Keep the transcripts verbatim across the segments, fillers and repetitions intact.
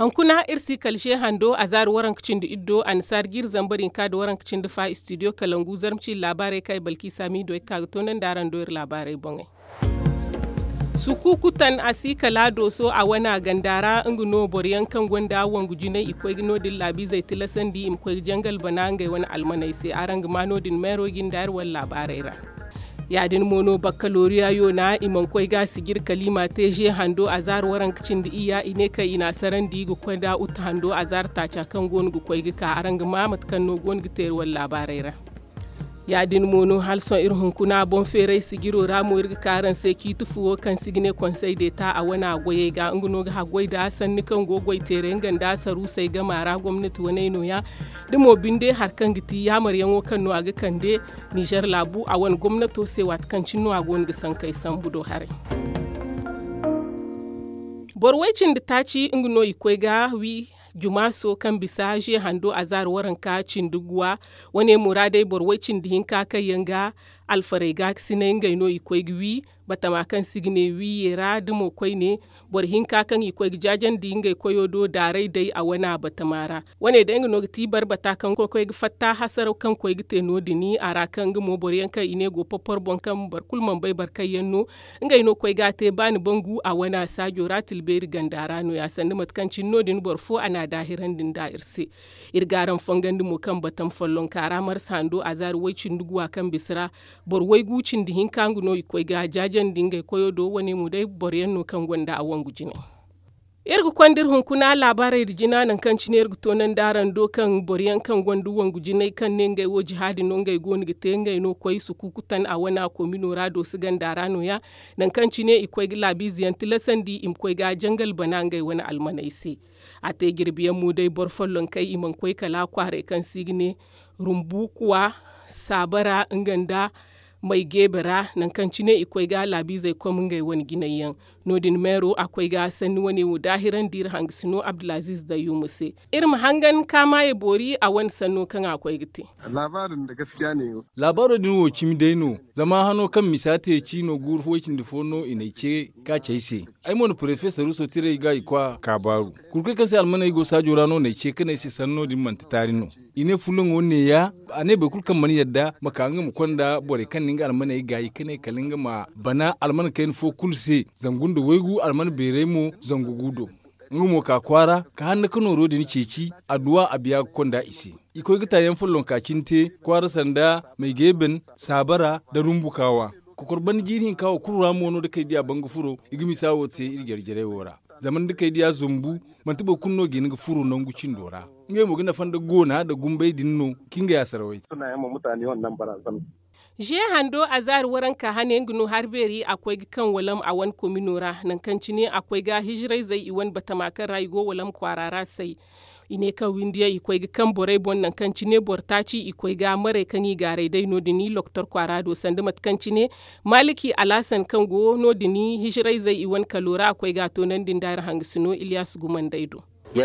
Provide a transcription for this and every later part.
Hunkuna iri si kala se hando a zaari waranka cindi iddo annasaari jiiri zambar hinka nda waranka cindi fa istidiyo kalangu zarma ciiri laabaarey kaŋ ay balki saamiido ay ga ka ga toonandi araŋ do iri laabaarey boŋey. Sukuku tan a si kala dooso a wana ganda ra nga no boro yaŋ kaŋ gonda wangu jinay i koy ga no- din laabiizey tilasandi i ma koy ga jangal bana ngey wane almaney se araŋ ga ma no- din meero jinda iri wane laabaarey ra. Ya- din mo no bakkaloriya yoona i mana koy ga a sijir kala i ma a te ze hando a zaari waranka cindi iyya i ne kaŋ i n'a sarandi ga koy nda uta hando a zaari taaca kaŋ go no ga koy ga ka araŋ ga ma mate kaŋ no go no ga te iri wane laabaarey ra. Ya- din mo no hala sohõ iri hunkuna boŋ feeray sijiro ra mo iri ga ka araŋ se ciiti fu wo kaŋ se i ga ne konsey deeta a wana goyey ga nga no ga haggoy nda sanni kaŋ go goy teeray nga nda saruusey gama ra gomnati waney nooya. Da mo binde hari kaŋ ga ti yaamaryaŋo kaŋ no a ga kande nizer laabu a wane gomnato se waati kaŋ cine no a go no ga sankey sambu do haray. Boro way cindi taaci nga no i koy ga wi jumaaso kaŋ bisa ze hando a zaari waranka cindi guwa. Wane muraadey boro way cindi hinka kaŋ yaŋ ga alfarey ga ga sinay ngey no i koy ga wi batama kaŋ se i ga ne wiye ra da mo koyne. Boro hinka kaŋ i koy ga jaajandi ngey koyo do daaray day a wana batama ra. Wane day nga no ga ti barbata kaŋ koy ga fatta hasaraw kaŋ koy ga te no- din a ra kaŋ nga mo boro yaŋ kaŋ i ne go porpor boŋ kaŋ boro kulu mana bay boro kaŋ yaŋ no. Ngey no koy ga a te ba ni bangu a wana saajo ra tilbeeri ganda ra nooya sanda mate kaŋ cine no- din boro fo a n'a daahirandi nda iri se. Iri ga araŋ fongandi mo kaŋ batam follonka ra marsa hando a zaari way cindi guwa kaŋ bisa ra. Boro waygu cindi hinka nga no i koy ga jaajandi ngey koyo do wane mo day boro yaŋ no kaŋ gonda a wangu jinay. Iri ga konda iri hunkuna laabaarey nda jina nangu kaŋ cine iri ga toonandi araŋ do kaŋ boro yaŋ kaŋ gonda wangu jinay kaŋ ne ngey wo jihaadi no ngey go no ga te ngey no koy sukuku tan a wana komino ra doosi ganda ra nooya. Nangu kaŋ cine i koy ga laabiize yaŋ tilasandi i ma koy ga jangal bana ngey wane almaney se. A te jirbi yaŋ mo day boro follonkey i mana koy kala kwaaray kaŋ se i ga ne rumbukuwa, saabara nga nda may geebe ra nangu kaŋ cine i koy ga laabiizey kom ngey wane jinay yaŋ. No- din meero a koy ga sanni wane wo daahirandi iri hangasino abdulaziiz dayyuuma se. Iri ma hangan kaamaaye boori a wane sanno kaŋ a koy ga te. Laabaaro din wo cimi day no. Zama hano kaŋ misa te ciino guuru fo way cindi fo no i n'ay ce ka ci ay se. Ay mo na porofesor ruuso tiray ga i kwa kaabaaru. Kurkey kaŋ se almaney go saajo ra no n'ay ce ka ne ay se sanno din manti taari no. I ne fulloŋo neeya. A ne boro kulu kaŋ mana yadda ma ka nga ma konda borey kaŋ na nga almaney gaayi ka ne kala nga ma bana alman kayna fo kulu se. Zangu nda waygu alman beeray mo zangu gu do. Nga mo ka kwaara ka hanna ka nooro din ceeci. Adduwa a biya ga konda i se. I koy ga taayaŋ follonka cine te kwaara sanda may geeben, saabara nda rumbu kaawa. Kokor banda jiiri hinka wo kulu ra mo no da kay diya banga furo i ga misa wo te iri jare-jarey wo ra. Zama ni da kay diya zumbu manti boro kulu no ga hin ga furo nangu cindo ra. Ngey mo ga nafa nda goona nda gumbay din no. Kaŋ ga ya sarawey. Ze hando a zaari waranka hane nga no hari beeri a koy ga kaŋ walam a wane komino ra nangu kaŋ cine a koy ga hijirayzey i wane batama kaŋ ra i go walam kwaara ra say. I ne kaŋ windiyaŋ i koy ga kaŋ borey boŋ nangu kaŋ cine boro taaci i koy ga maray kaŋ i gaaray day no- din i loktor kwaara do sanda mate kaŋ cine maaliki alhasan kaŋ go no- din hijirayzey i wane kalo ra a koy ga a toonandi nda iri hangasino iliyas gumandey do. I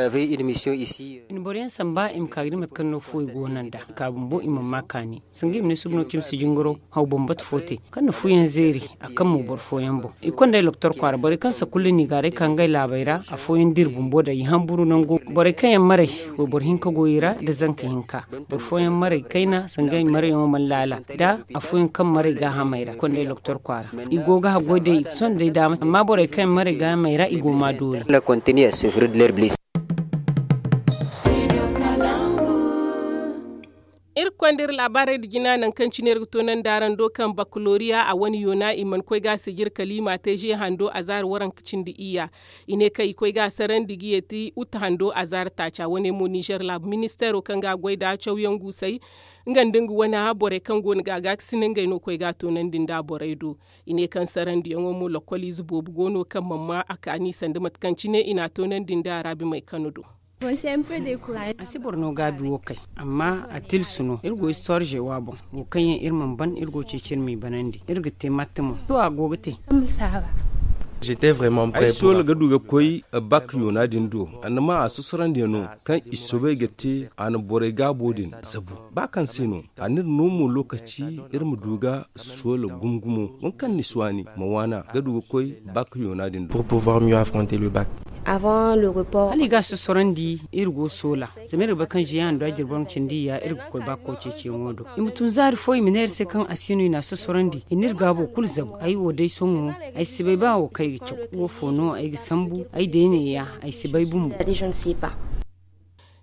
na boro yaŋ samba i ma ka ga di mate kaŋ no fuwo i go no nd'a i ka bumbo i mana ma kaani. Sanga i ma ne suba no cimi si jingaro haw bambata fo te kaŋ na fuyaŋ zeeri a kaŋ mo boro fooyaŋ boŋ. I konda ay loktor kwaara borey kaŋ sakulla no i gaaray ka ngey laabey ra afooyaŋ dira bumbo da i hamburu nango. Borey kaŋ yaŋ maray wayboro hinka go i ra nda zanka hinka. Boro fooyaŋ maray kayna sanga i marayyaŋo mana laala da afooyaŋ kaŋ maray gaahamey ra i konda ay loktor kwaara. I go ga haggoy day sohõ day daama amma borey kaŋ yaŋ maray gaahamey ra i go ma doole. Iri ga konda iri laabaarey nda jina nangu kaŋ cine iri ga toonandi araŋ do kaŋ bakaloriya a wane yoona i mana koy ga a sijir kala i m'a te ze hando a zaari waranka cindi iyya. I ne kaŋ i koy ga a sarandi ga yeeti uta hando a zaari taaca wane mo nizer laabu ministeero kaŋ ga a goy nda cawyaŋ guusay nga nda nga wane borey kaŋ go no ga a gaakasina ngey no koy ga a toonandi nda borey do. I ne kaŋ sarandiyaŋo mo lokkoliize boobo go no kaŋ mana ma a kaani sanda mate kaŋ cine i n'a toonandi nda araabimey kano do. A si boro no gaabi wo kay amma a tilsu no iri go histoire jewa boŋ wo kaŋ yaŋ iri mana ban iri go ceeci iri m'i banandi iri ga te matte mo to a go ga te. Ay soola ga du ga koy bak yoona din do a na ma a sosorandi no kaŋ i soobay ga te a na borey gaabo din zabu ba kaŋ se no a n'iri no mo lokaci iri ma du ga soola gumo gumo waŋ kaŋ ni si waani ma waana ga du ga koy bak yoona din do. Pour pouvoir mieux affronter le bac. Hala i ga a sosorandi, iri go soola. Zama iri ga bay kaŋ ziyaŋ do a jirbi boro ma cindi i ya, iri ga koy ba ga koy ceeciyaŋo do. I ma tun zaari fo i ma ne iri se kaŋ a si no i na a sosorandi. I na iri gaabo kulu zabu. Ay wo day sohõ, ay si bay ba wo kaŋ ay ga caw. Wo fo no ay ga sambu, ay day neeya, ay si bay bumbo.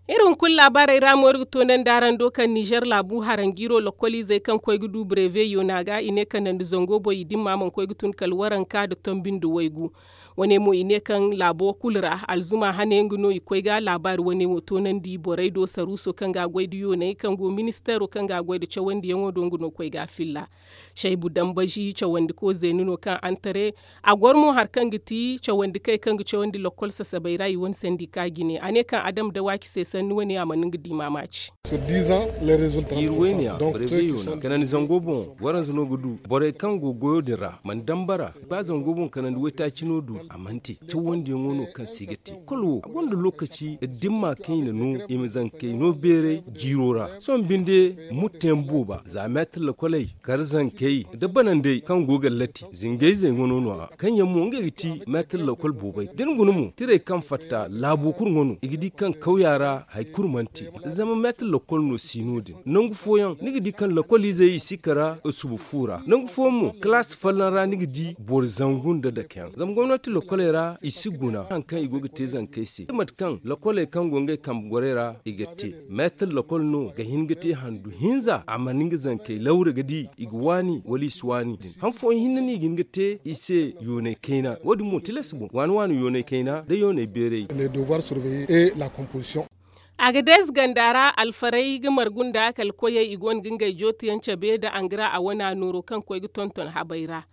Iri hunkuna laabaarey ra mo iri ga toonandi araŋ do kaŋ nizer laabu haranjiiro lokoliizey kaŋ koy ga du breve yoona ga i ne kandandi zango boŋ i dimma mana koy ga tun kala waranka nda tombi nda waygu. Wane mo i ne kaŋ laabo kulu ra alzuma hane nga no i koy ga laabaari wane wo toonandi borey do saruuso kaŋ ga a goy nda yooney kaŋ go ministeero kaŋ ga a goy nda cawandiyaŋo do nga no koy ga a filla. Saybu dambazi cawandiko zeeni no kaŋ antare a goro mo hari kaŋ ga ti cawandikey kaŋ ga cawandi lokol sasabey ra i wane sandi ka jine a ne kaŋ adam dawaaki se sanni wane a mana nga di maamaaci. Jiiri wayne ya, barayzey yoona kanandi zango boŋ waranza no ga du borey kaŋ go goyo din ra mana dambara. Ba zango boŋ kanandi waytaaci no du a mana te cawandiyaŋo no kaŋ se i ga te kulu wo a gonda lookaci dimma kaŋ i na no i ma zankey no beeray jiiro ra. Sohõ binde mutteyaŋ booba za meetir lakoley kar zankey nda banandey kaŋ go ga latti zingayzey ŋwa no no- ya kaŋ yaŋ mo ngey ga ti meetir lakol boobay da ni guna mo tirey kaŋ fatta laabo kulu ŋwa no i ga di kaŋ kawya ra hari kulu mana te. Zama meetir lakol no si no- din nangu fooyaŋ ni ga di kaŋ lakoliizey i si kara suba fu ra nangu fooyaŋ mo kalaasi folloŋ ra ni ga di boro zangu nda dakeyaŋ zama gomnati lakoley ra i si guna hari kaŋ i go ga te zankey se mate kaŋ lakoley kaŋ go ngey kambe gorey ra i ga te. Meetir lakol no ga hin ga te handu hinza a mana nga zankey lawre ga di i ga waani wala i si waani din han fooyaŋ hinne no i ga hin ga te i se yoonay kayna wo- din mo tilas boŋ waani waani yoonay kayna nda yoonay beeray. A ga deesi ganda ra alfarey ga margu nda kala koyey i go no ga ngey jootiyaŋ cabe nda angra a wana nooro kaŋ koy ga tonton habey ra.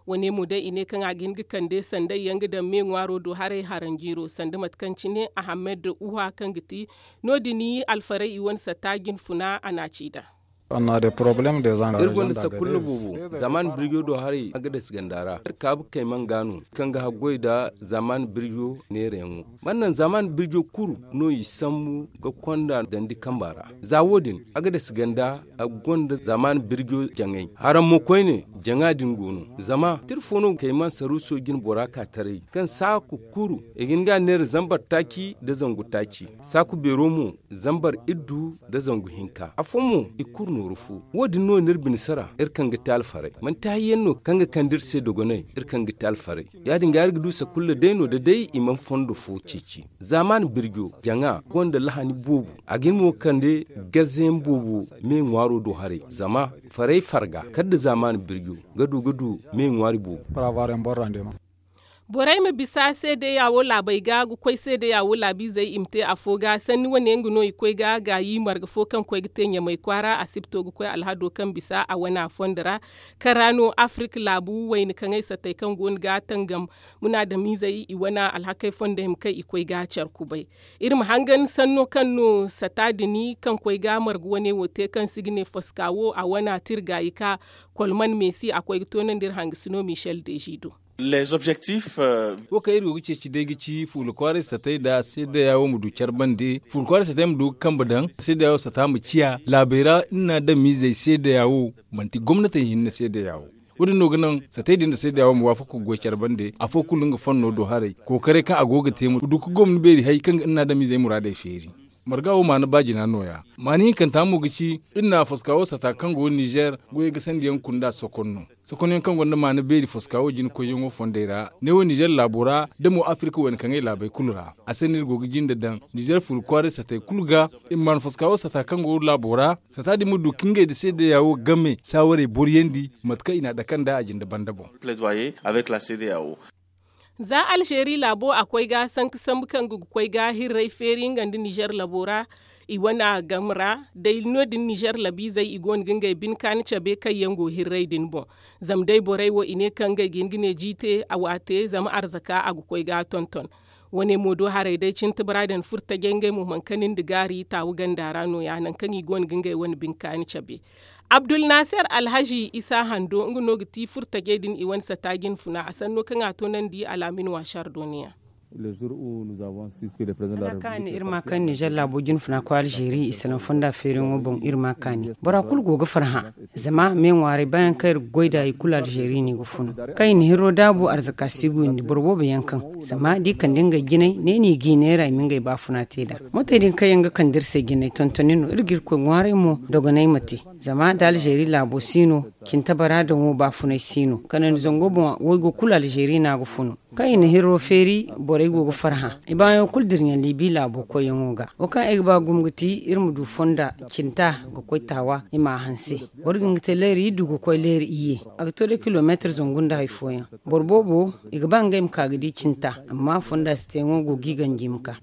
Wane mo day i ne kaŋ a ga hin ga kande sanday yaŋ ga daŋ me ŋwaaro do haray haranjiiro sanda mate kaŋ cine ahammed uha kaŋ ga ti no- din alfarey i wane satta jinfuna a na a ci daŋ. Iri gonda sakulla boobo zamaan birjo do haray a ga dasi ganda ra iri kaabu kayman ga no kaŋ ga haggoy nda zamaan birjo neerayaŋo. Mana naŋ zamaan birjo kulu no i sambu ga konda dandi kamba ra. Za wo- din a ga dasi ganda a gonda zamaan birjo jaŋay haraŋ mo koyne jaŋa din go no. Zama tira fo no kayman saruuso jine bora ka taray kaŋ saaku kuru i ga hin ga a neera zambar taaci nda zangu taaci. Saaku beero mo zambar iddu nda zangu hinka afo mo i kulu nooru fo. Wo- din no no iri bine sara iri kaŋ ga te alfaray manti hayyaŋ no kaŋ ga kande iri se dogonay iri kaŋ ga te alfaray. Ya- din ga iri ga du sakulla day no da day i mana fondo fo ceeci. Zamaan birjo jaŋa gonda lahani boobo a ga hin mo ga kande gazayaŋ boobo me ŋwaaro do haray zama faray farga kala nda zamaan birjo ga du ga du me ŋwaari boobo. Borey ma bisa seedeya wo laabey ga ga koy seedeya wo laabiizey i ma te afo ga sanni wane nga no i koy ga gaayi marga fo kaŋ koy ga te ɲamay kwaara asibto ga koy alhado kaŋ bisa a wana fondo ra. Kaŋ ra no afirik laabu wayna kaŋay satey kaŋ go no ga tangam munaadamiizey i wana alhakey fondey ma kay i koy ga care kubay. Iri ma hangan sanno kaŋ no sata din kaŋ koy ga marga wane wo te kaŋ se i ga ne foska wo a wana tira gaayi ka kolman meesi a koy ga toonandi iri hangasino michel dezido. Wo kaŋ iri go ga ceeci day ga ci fuula kwaaray satay nda seedeya wo ma du care bande fuula kwaaray satay ma du ga kambe daŋ seedeya wo sata ma ciya laabey ra iri na adamiizey seedeya wo manti gomnatey hinne seedeya wo. Wo- din no ga naŋ satay din nda seedeya wo ma waafaku ga goy care bande afo kulu nga fanno do haray kookaray kaŋ a go ga te ma du ga gomna beeri hay kaŋ ga iri na adamiizey muraadey feeri. Marga wo maana baajina no- ya maana hinkanta mo ga ci iri na foska wo sata kaŋ go nizer goyey ga sandiyaŋ kunda sokon no. Sokonyaŋ kaŋ gonda maana beeri foska wo jina koyyaŋo fondey ra ne wo nizer laabo ra da mo afirka wayna kaŋey laabey kulu ra. A se no iri go ga jinde daŋ nizer furu kwaaray satey kulu ga i ma maana foska wo sata kaŋ go laabo ra sata din ma du ka ngey nda seedeya wo game saawarey boriyandi mate kaŋ i na a dake nda a jinde banda boŋ. Za alzeeri laabo a koy ga sanka sambu kaŋ ga ga koy ga hirray feeri nga nda nizer labo ra i wane game ra day no- din nizer labiizey i go no ga ngey bine kaani cabe kaŋ yaŋ go hirray din boŋ. Zama day borey wo i ne kaŋ ngey ga hin ga ne jiite a waate zama arzaka a ga koy ga a tonton. Wane mo do haray day cine tabara din furo tajay ngey mo mana kani nda gaari taawu ganda ra no- ya nangu kaŋ i go no ga ngey wane bine kaani cabe. Abdul naser alhazi isa hando nga no ga ti furo tajey din i wane sata jinfuna a sanno kaŋ a toonandi alaamin waasar dooniya. Hala kaani iri ma kaani nizer laabo jinfuna koy alzeeri i salaŋ fonda feeriyaŋo boŋ iri ma kaani bora kulu go ga farhã. Zama me ŋwaaray baayaŋ kaŋ iri ga goy nd'a i kulu alzeeri no i ga funu. Kaŋ i na hirro daabu arzaka si ga windi boro boobo yaŋ kaŋ zama da i kande ngey jinay ne no i g'i neera i ma ngey baafuna te nd'a. Mootey din kaŋ yaŋ ga kande iri se jinay tontoni no iri ga irkoy ŋwaaray mo dogonay ma te. Zama da alzeeri laabo si no cinta bara daŋo baafunay si no kanandi zango boŋ waygo kulu alzeeri no a ga funu. Kaŋ i na hirro feeri borey go ga farhã i baayaŋo kulu dira ɲaŋ liibi laabo koyyaŋo ga. Wo kaŋ ay ga ba gumo ga ti iri ma du fonda cinta ga koy taawa i m'a hanse. Boro din ga te leeri iddu ga koy leeri iyye. A ga to day kilomeetir zangu nda hari fooyaŋ. Boro boobo i ga ba ngey ma ka ga di cinta amma fonda si te yaŋo go ga i ganji ma ka.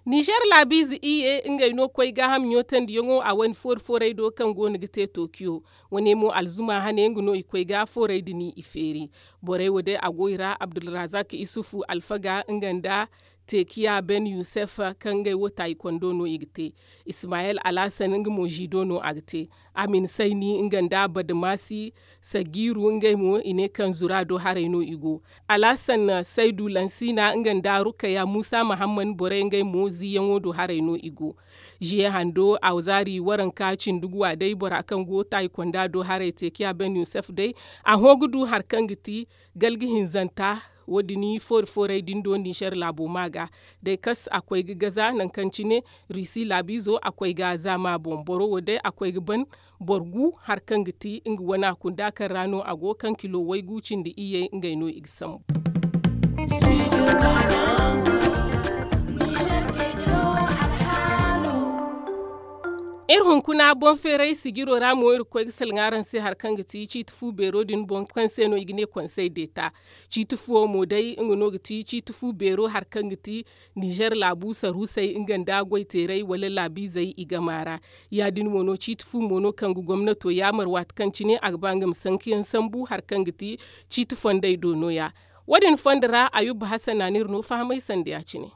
Nizer laabiize iyye ngey no koy gaaham ɲootandiyaŋo a wane foori-foorey do kaŋ go no ga te tokiyo. Wane mo alzuma hane nga no i koy ga foorey din i feeri. Borey wo day a go i ra abdulrazak isufu alfaga nga nda teekiya ben yusef kaŋ ngey wo taayi kondo no i ga te. Ismayel alhasan nga mo ziido no a ga te. Amin sayni nga nda badamasi sagiiru ngey mo i ne kaŋ zura do haray no i go. Alhasan saydu lansina nga nda rukaya musa mahamman borey ngey mo ziiyaŋo do haray no i go. Ziye hando awzaari waranka cindi guwa day bora kaŋ go taayi konda do haray teekiya ben yusef day. A hõ ga du hari kaŋ ga ti galga hinzanta. Wo- din foori-foorey din do nizer laabo ma ga day kas a koy ga gaza nangu kaŋ cine risi laabiizo a koy ga zaama boŋ boro wo day a koy ga ban. Boro gu hari kaŋ ga ti nga wana kunda kaŋ ra no a go kaŋ kilo waygu cindi iyye ngey no i ga sambu. Iri hunkuna boŋ feeray sijiro ra mo iri ga koy ga salaŋ araŋ se hari kaŋ ga ti ciiti fu beero din boŋ kaŋ se no i ga ne konsey deeta. Ciiti fuwo mo day nga no ga ti ciiti fu beero hari kaŋ ga ti nizer laabu saruusey nga nda goyteerey wala laabiizey i gama ra. Ya- din mo no ciiti fu mo no kaŋ ga gomnato yaamar waati kaŋ cine a ga ba nga ma sankayaŋ sambu hari kaŋ ga ti ciiti fondey do no- ya. Wo- din fondo ra ayuba hasan na no iri no fahamay sanda ya- cine.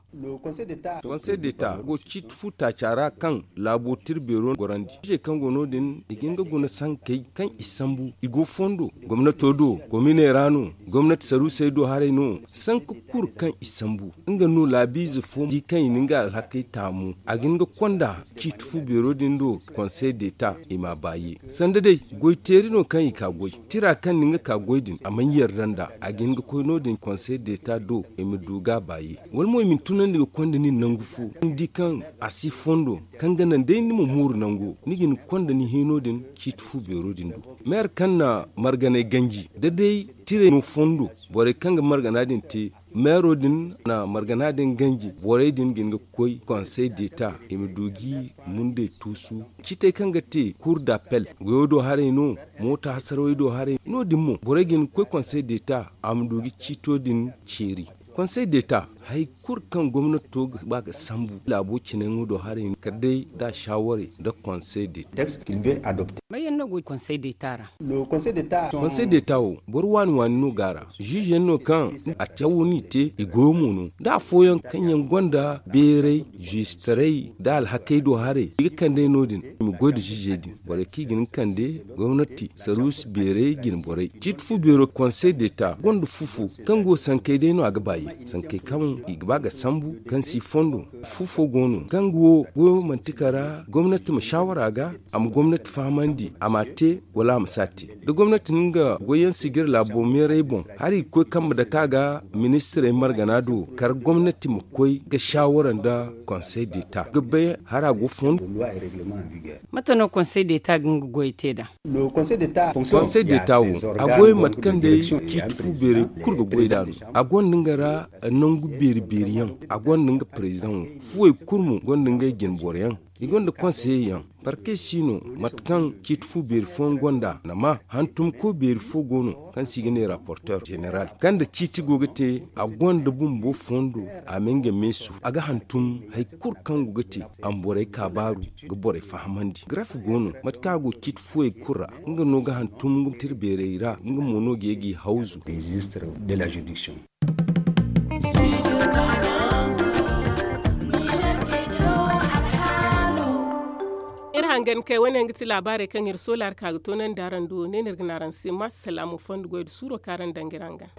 Konsey deeta go ciiti fu taaca ra kaŋ laabo tira beero gorandi izey kaŋ go no- din i ga hin ga guna sankey kaŋ i sambu i go fondo gomnato do kominey ra no gomnati saruusey do haray no. Sanka kulu kaŋ i sambu nga no laabiize fo di kaŋ i na nga alhakey taamu a ga hin ga konda ciiti fu beero din do konsey deeta i m'a baaye sanda day goyteeri no kaŋ i ka goy tira kaŋ na nga ka goy din a mana yarda nd'a a ga hin ga koy no- din konsey deeta do i ma du ga a baaye. Wala mo i ma ni tunandi ga konda nin nangu fo ni di kaŋ a si fondo kaŋ ga naŋ day ni ma mooru nango ni ga hin ga konda ni hiino din ciiti fu beero din do. Meer kaŋ na marganay ganji da day tirey no fondo borey kaŋ ga margana din te meero din na margana din ganji borey din ga hin ga koy konsey deeta i ma du g'i mundey tuusu. Ciitey kaŋ ga te kuur d'appel goyo do haray no moota hasarawey do haray no- din mo borey ga hin ga koy konsey deeta a ma du ga ciito din ceeri. Konsey deeta hari kulu kaŋ gomnato ga ba ga sambu laabo cinayaŋo do haray kala day da a saaware nda konsey deeta. May yaŋ no go konsey deeta ra? Konsey deeta wo boro waani waani no go a ra. Ziize yaŋ no kaŋ a cawo no i te i goyo mo no da afooyaŋ kaŋ yaŋ gonda beeray ziistaray nda alhakey do haray i ga kand'ey no- din i ma goy nda ziize din borey kaŋ i ga hin ga kande gomnati saruusi beeray jine borey ciiti fu beero konsey deeta gonda fu fo kaŋ go sankey day no a ga baaye sankey kaŋ i ga ba ga sambu kaŋ si fondo. Fu fo go no kaŋ ga wo goyo manti kala gomnati ma saawara ga a ma gomnati fahamandi a m'a te wala a ma si a te. Da gomnati na nga goyyaŋ sijir laabo meeray boŋ hari i ga koy kambe dake a ga ministirey margana do kala gomnati ma koy ga saawara nda konsey deeta ga bay hari a go fondo. Mate no konsey deeta ga nga goyey te nd'a? Konsey deeta wo a goy mate kaŋ day ciiti fu beerey kulu ga goy nd'a no. A gonda nga ra nangu beeri beeri yaŋ a gonda nga parezidaŋo fuwey kulu mo gonda ngey jine boro yaŋ i gonda konseyey yaŋ. Parkey si no mate kaŋ ciiti fu beeri fooyaŋ gonda nama hantumko beeri fo go no kaŋ se i ga ne raporter zeneral kaŋ nda ciiti go ga te a gonda bumbo fondo a ma nga meesu a ga hantum hari kulu kaŋ go ga te a ma borey kaabaaru ga borey fahamandi graf go no mate kaŋ a go ciiti fuwey kulu ra nga no ga hantum nga tira beerey ra nga mo no ga ye g'i hawzu. Hangan kay wane yaŋ ga ti laabaarey kaŋ iri soola hari ka ga toonandi araŋ do ne no iri ga ne araŋ se ma salaamu fondo goy nda suuro kaŋ araŋ daŋ ga iri hangan.